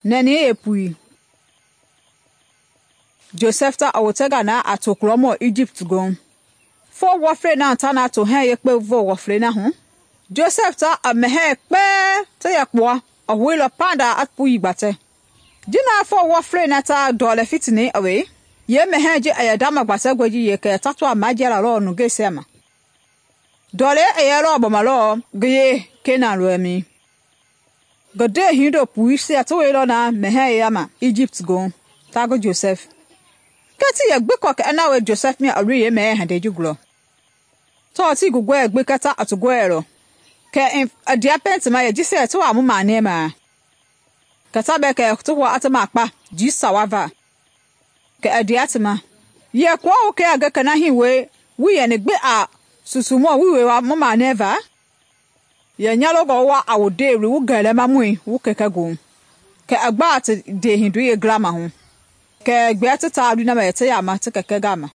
nɛni yeepui. Joseph ta i wotenga na a tokulɔmɔ Egypt goohu. Foo wɔflei na ta na tohɛɛ yekpe voo wɔflei na hu, Joseph ta i mɛhɛɛ kpɛɛ ti yɛ kpua i houilɔ pandaa i pui gbatɛ. Ji na foo wɔflei na ta ndɔlɛ fitini i wei, yeemɛhɛɛ ji i yɛ ndama gbatɛngɔe ji yekɛ ta tɔa majiala lɔɔ nungeisia ma. Ndɔlei i yɛlɔ gbɔma lɔɔ ngi yee Kenan lɔɛmɛi. Ngi ndee hindo puisia ti wɛilɔ na mɛhɛɛ yeya Egypt goohu ta ngi Joseph. Kɛɛ ti yɛ gbi kɔɔ kɛ ina wie Joseph mia i loi yeemɛhɛɛ hindei ji gulɔ. Tɔɔ tii ngi gɔɛ gbi kɛ ta i ti gɔɛlɔ. Kɛ i ndea pɛiŋ ti ma yɛ jisia ti waa mu manɛɛmaa. Kɛ ta bɛɛ kɛ ti hua i ti makpa jii sawa va. Kɛ i ndea ti ma, yɛ kɔɔ wu kɛ a nge kɛ na hii woi wuii yɛni gbi a susumɔ wuii wei mu manɛɛva? Yɛ nyalongɔ wu wa a wu ndeweni wu gɛlɛmamɔi wu kɛkɛ goohu. Kɛ i gbaa ti ndehindoi yeengila maahu. Kɛ gbɛɛ ti taalui na ma yɛ ti yaama ti kɛkɛ gama.